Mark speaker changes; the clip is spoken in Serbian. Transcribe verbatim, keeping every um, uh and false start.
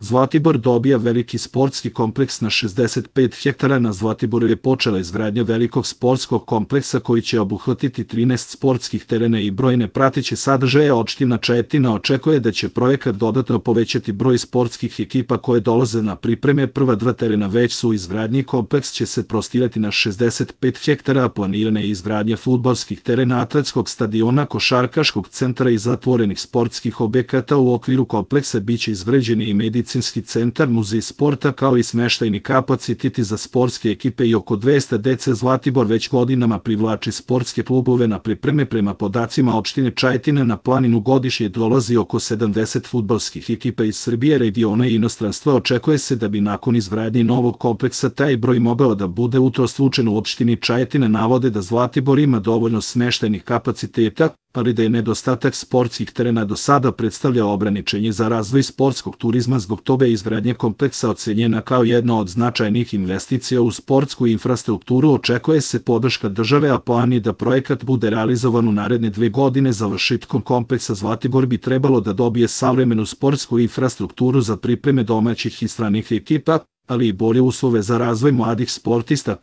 Speaker 1: Zlatibor dobija veliki sportski kompleks na šezdeset pet hektara. Na Zlatiboru je počela izgradnja velikog sportskog kompleksa koji će obuhvatiti trinaest sportskih terena i brojne prateće sadržaje. Opština Čajetina očekuje da će projekat dodatno povećati broj sportskih ekipa koje dolaze na pripreme. Prva dva terena već su u izgradnji. Kompleks će se prostirati na šezdeset pet hektara, a planirana je izgradnja fudbalskih terena, atletskog stadiona, košarkaškog centra i zatvorenih sportskih objekata. U okviru kompleksa biće izgrađen i medicinski centar, muzej sporta, kao i smeštajni kapaciteti za sportske ekipe i oko dvesta dece. Zlatibor već godinama privlači sportske klubove na pripreme. Prema podacima opštine Čajetina na planinu godišnje dolazi oko sedamdeset fudbalskih ekipa iz Srbije, regiona i inostranstva. Očekuje se da bi nakon izgradnje novog kompleksa taj broj mogao da bude utrostručen. U opštini Čajetina navode da Zlatibor ima dovoljno smeštajnih kapaciteta, ali da je nedostatak sportskih terena do sada predstavljao ograničenje za razvoj sportskog turizma. Zbog toga je izgradnja kompleksa ocenjena kao jedna od značajnih investicija u sportsku infrastrukturu. Očekuje se podrška države, a plan je da projekat bude realizovan u naredne dve godine. Završetkom kompleksa Zlatibor bi trebalo da dobije savremenu sportsku infrastrukturu za pripreme domaćih i stranih ekipa, ali i bolje uslove za razvoj mladih sportista.